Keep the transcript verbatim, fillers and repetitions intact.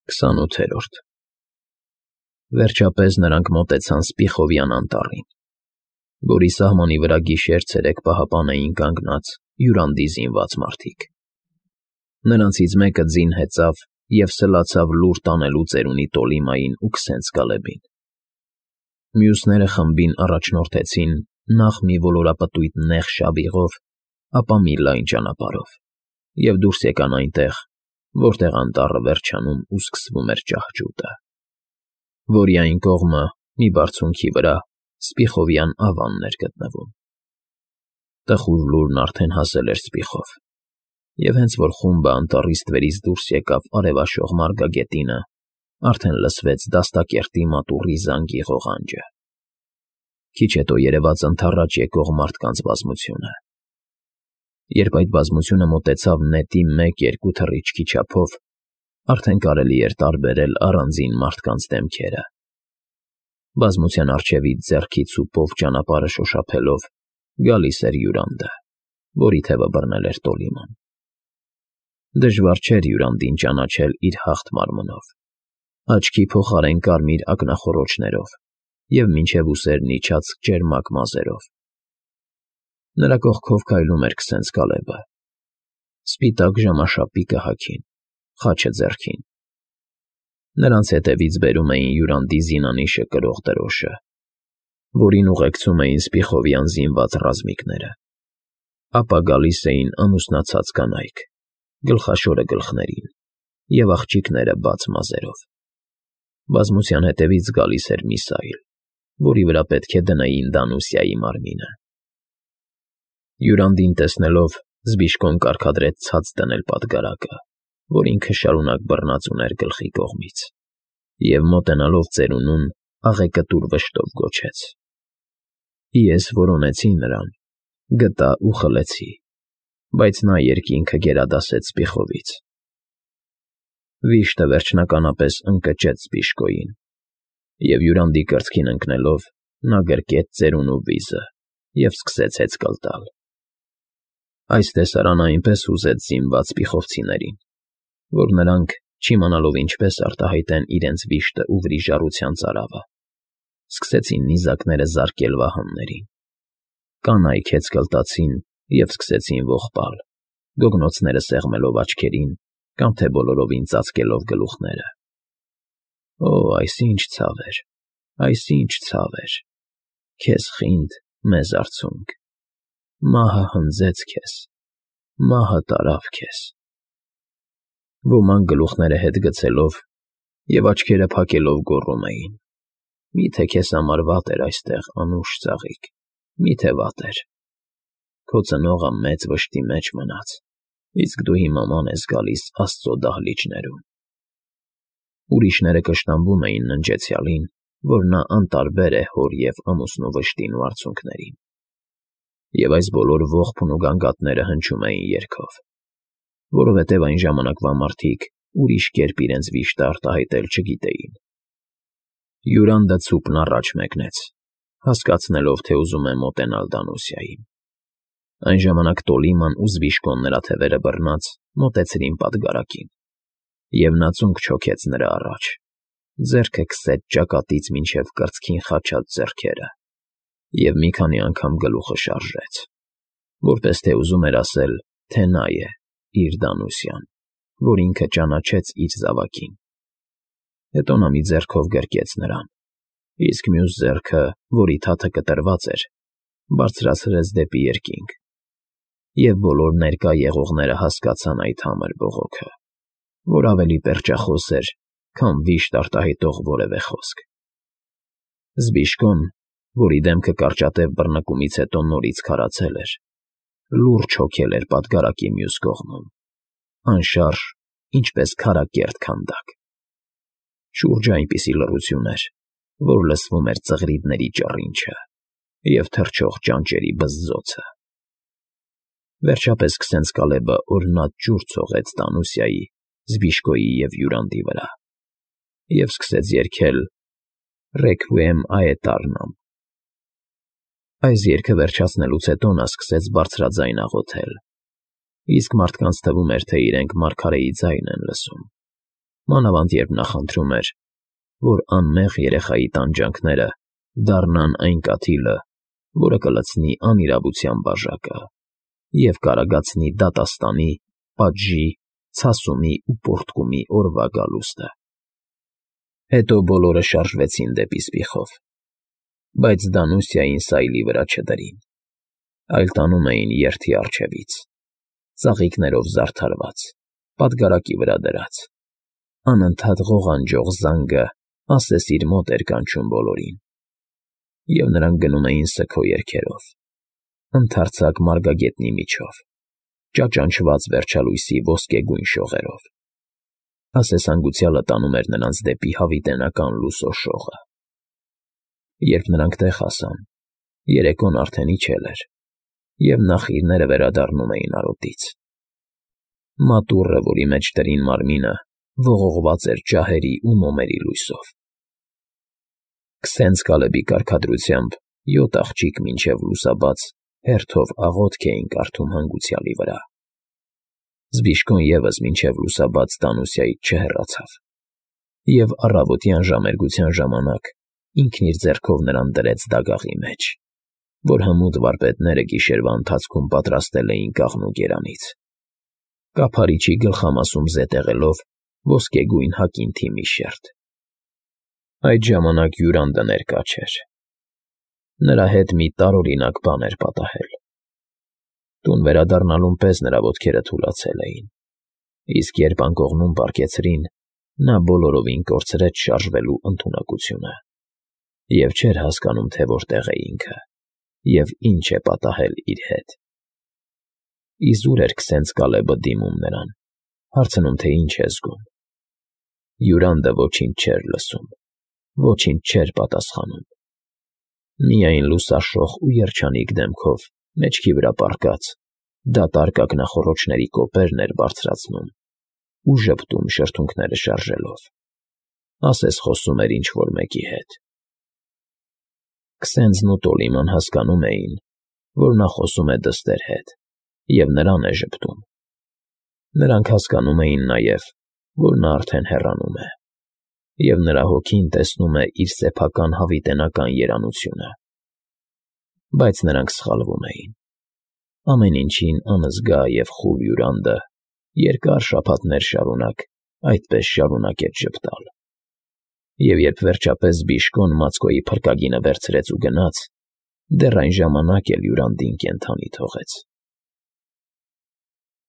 Քսանութերորդ Վերջապես նրանք մոտեցան Սպիխովյան անտառին, որի սահմանի վրա գիշեր֊ցերեկ պահապան էին կանգնած յուրանդի զինված մարդիկ. նրանցից մեկը ձին հեծավ և սլացավ լուր տանելու ծերունի Տոլիմային ու քսենց Կալեբին. մյուսները խմբին առաջնորդեցին նախ մի ոլորապտույտ նեղ շավիղով, ապա մի լայն ճանապարհով, և դուրս եկան այնտեղ, որտեղ անտառը վերջանում ու սկսվում էր ճահճուտը, որի այն կողմը, մի բարձունքի վրա, Սպիխովյան ավանն էր գտնվում. տխուր լուրն արդեն հասել էր Սպիխով, և հենց որ խումբը անտառի ստվերից դուրս եկավ արևաշող մարգագետինը, արդեն լսվեց դաստակերտի մատուռի զանգի ղողանջը. քիչ հետո երևաց ընդառաջ եկող մարդկանց բազմությունը. երբ այդ բազմությունը մոտեցավ նետի մեկ֊երկու թռիչքի չափով, արդեն կարելի էր տարբերել առանձին մարդկանց դեմքերը. բազմության առջևից ձեռքից սուպով ճանապարհը շոշափելով գալիս էր Յուրանդը, որի թևը բռնել էր Տոլիման. դժվար չէր Յուրանդին ճանաչել իր հաղթ մարմնով, աչքի փոխարեն կարմիր ակնախոռոչներով և մինչև ուսերն իջած ճերմակ մազերով. նրա կողքով քայլում էր քսենց Կալեբը, սպիտակ ժամաշապիկը հագին, խաչը ձեռքին. նրանց հետևից բերում էին Յուրանդի զինանիշը կրող դրոշը, որին ուղեկցում էին Սպիխովյան զինված ռազմիկները, ապա գալիս էին ամուսնացած կանայք, գլխաշորը գլխներին և աղջիկները բաց մազերով. բազմության հետևից գալիս էր մի սայլ, որի վրա պետք է դնեին Դանուսիայի մարմինը. Յուրանդին տեսնելով Զբիշկոն կարգադրեց ցած դնել պատգարակը, որ ինքը շարունակ բռնած ուներ գլխի կողմից, և մոտենալով ծերունուն աղեկտուր վշտով գոչեց. ես որոնեցի նրան, գտա ու խլեցի, բայց նա երկինքը գերադասեց Սպիխովից. Վիշտը վերջնականապես ընկճեց Զբիշկոյին, և Յուրանդի կրծքին ընկնելով նա գրկեց ծերունու վիզը և սկսեց հեծկլ տալ. այս տեսարանը այնպես հուզեց զինված սպիխովցիներին, որ նրանք, չիմանալով ինչպես արտահայտեն իրենց վիշտը ու վրիժառության ծարավը, սկսեցին նիզակները զարկել վահաններին. կանայք հեծկլ տացին և սկսեցին ողբալ, գոգնոցները սեղմելով աչքերին կամ թե բոլորովին ծածկելով գլուխները. Օ՜, այս ինչ ցավ էր, այս ինչ ցավ էր, քեզ խինդ, մեզ արցունք, մահը հնձեց քեզ, մահը տարավ քեզ. Ոմանք գլուխները հետ գցելով և աչքերը փակելով գոռում էին. միթե քեզ համար վատ էր այստեղ, անուշ ծաղիկ, միթե վատ էր, քո ծնողը մեծ վշտի մեջ մնաց, իսկ դու հիմա ման ես գալիս Աստծո դահլիճներում. Ուրիշները կշտամբում էին ննջեցյալին, որ նա անտարբեր է հոր և ամուսնու վշտին ու արցունքներին, և այս բոլոր ողբն ու գանգատները հնչում էին երգով, որովհետև այն ժամանակվա մարդիկ ուրիշ կերպ իրենց վիշտը արտահայտել չգիտեին. Յուրանդը ցուպն առաջ մեկնեց, հասկացնելով, թե ուզում է մոտենալ Դանուսիային. այն ժամանակ Տոլիման ու Զբիշկոն նրա թևերը բռնած մոտեցրին պատգարակին, և նա ծունկ չոքեց նրա առաջ, ձեռքը քսեց ճակատից մինչև կրծքին խաչած ձեռքերը և մի քանի անգամ գլուխը շարժեց, որպես թե ուզում էր ասել, թե նա է, իր Դանուսյան, որ ինքը ճանաչեց իր զավակին. հետո նա մի ձեռքով գրկեց նրան, իսկ մյուս ձեռքը, որի թաթը կտրված էր, բարձրացրեց դեպի երկինք, և բոլոր ներկա եղողները հասկացան այդ համր բողոքը, որ ավելի պերճախոս էր, քան վիշտ արտահայտող որևէ խոսք. Զբիշկոն, որի դեմքը կարճատև բռնկումից հետո նորից քարացել էր, լուրջ հոգել էր պատգարակի մյուս կողմում, անշարժ, ինչպես քարակերտ քանդակ. շուրջը այնպիսի լռություն էր, որ լսվում էր ծղրիդների ճռինչը և թռչող ճանճերի բզզոցը. Վերջապես քսենց Կալեբը օրհնած ջուր ցողեց Դանուսիայի, Զբիշկոյի և Յուրանդի վրա և սկսեց երգել Ռեքվիեմ Աետառնամ. այս երգը վերջացնելուց հետո նա սկսեց բարձրաձայն աղոթել, իսկ մարդկանց թվում էր, թե իրենք մարգարեի ձայն են լսում, մանավանդ երբ նա խնդրում էր, որ անմեղ երեխայի տանջանքները դառնան այն կաթիլը, որը կլցնի անիրավության բաժակը և կարագացնի դատաստանի, պատժի, ցասումի ու պոռթկումի օրվա գալուստը։ Հետո բոլորը շարժվեցին դեպի սպիխով, բայց Դանուսիային սայլի վրա չդրին, այլ տանում էին երթի առջևից, ծաղիկներով զարդարված, պատգարակի վրա դրած, անընդհատ ղողանջող զանգը ասես իր մոտ էր կանչում բոլորին, և նրանք գնում էին սգո երգերով, ընդարձակ մարգագետնի միջով, ճաճանչված վերջալույսի ոսկեգույն շողերով, ասես հանգուցյալը տանում էր նրանց դեպի հավիտենական լուսո շողը։ Երբ նրանք տեղ հասան, երեկոն արդեն իջել էր, և նախիրները վերադառնում էին արոտից։ Մատուռը, որի մեջ դրին մարմինը, ողողված էր ջահերի ու մոմերի լույսով։ Քսենց Կալեբի կարգադրությամբ յոթ աղջիկ մինչև լուսաբաց հերթով աղոթք էին կարդում հանգուցյալի վրա։ Զբիշկոն ևս մինչև լուսաբաց Դանուսիայից չհեռացավ, և առավոտյան ժամերգության ժամանակ ինքն իր ձեռքով նրան դրեց դագաղի մեջ, որ հմուտ վարպետները գիշերվա ընթացքում պատրաստել էին կաղնու կերանից, կափարիչի գլխամասում զետեղելով ոսկեգույն հակինթի մի շերտ։ Այդ ժամանակ հյուրանդը ներկա չէր։ Նրա հետ մի տարօրինակ բան էր պատահել։ Տուն վերադառնալուն պես նրա ոտքերը թուլացել էին, իսկ երբ անկողնում պառկեցրին, նա բոլորովին կորցրեց շարժվելու ընդունակությունը և չէր հասկանում, թե որտեղ է ինքը և ինչ է պատահել իր հետ։ Իզուր էր քսենց Կալեբը դիմում նրան, հարցնում, թե ինչ է զգում։ Հյուրանդը ոչինչ չէր լսում, ոչինչ չէր պատասխանում։ Միայն լուսաշող ու երջանիկ դեմքով, մեջքի վրա պառկած, դատարկ ակնախոռոչների կոպերն էր բարձրացնում ու ժպտում շրթունքները շարժելով, ասես խոսում էր ինչ֊որ մեկի հետ։ Քսենձն ու Տոլիման հասկանում էին, որ նա խոսում է դստեր հետ և նրան է ժպտում։ Նրանք հասկանում էին նաև, որ նա արդեն հեռանում է, և նրա հոգին տեսնում է իր սեփական հավիտենական երանությունը։ Բայց նրանք սխալվում էին։ Ամեն ինչին անզգա և խուլ հյուրանդը երկար շաբաթներ շարունակ այդպես շարունակեց ժպտալ։ Եվ երբ վերջապես Բիշկոն Մացկոյի փրկագինը վերցրեց ու գնաց, դեռ այն ժամանակ էլ հյուրանդին կենդանի թողեց։